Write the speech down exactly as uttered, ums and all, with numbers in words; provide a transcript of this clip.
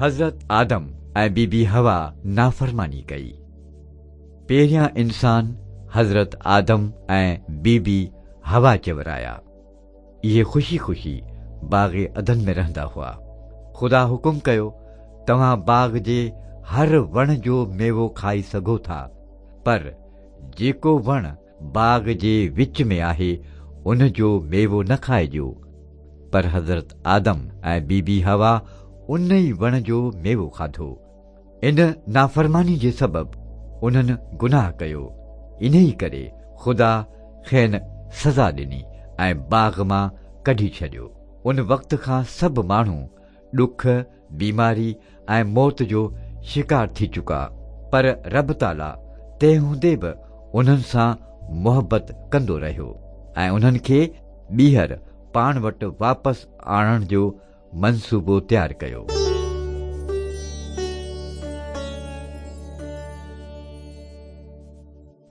حضرت آدم ۽ بيبي حوا نافرماني ڪئي. پهريان انسان حضرت آدم ۽ بيبي حوا چورايا. اهي خوشي خوشي باغ عدن ۾ رهندا هئا. خدا حڪم ڪيو، توهان باغ جي هر وڻ جو ميوو کائي سگهو ٿا، پر جيڪو وڻ باغ جي وچ ۾ آهي ان جو ميوو نه کائجو. پر حضرت آدم ۽ بيبي حوا ان ئي وڻ جو ميوو کاڌو. ان نافرماني جي سبب انهن گناهه ڪيو. انهي ڪري خدا کين سزا ڏني ۽ باغ مان ڪڍي ڇڏيو. ان وقت کان سڀ ماڻهو ڏک، بيماري ۽ موت جو شڪار ٿي چڪا، پر رب تعاليٰ تنهن هوندي به انهن سان محبت ڪندو رهيو ۽ انهن کي ٻيهر پاڻ وٽ واپس آڻڻ جو منصوبو تيار ڪيو.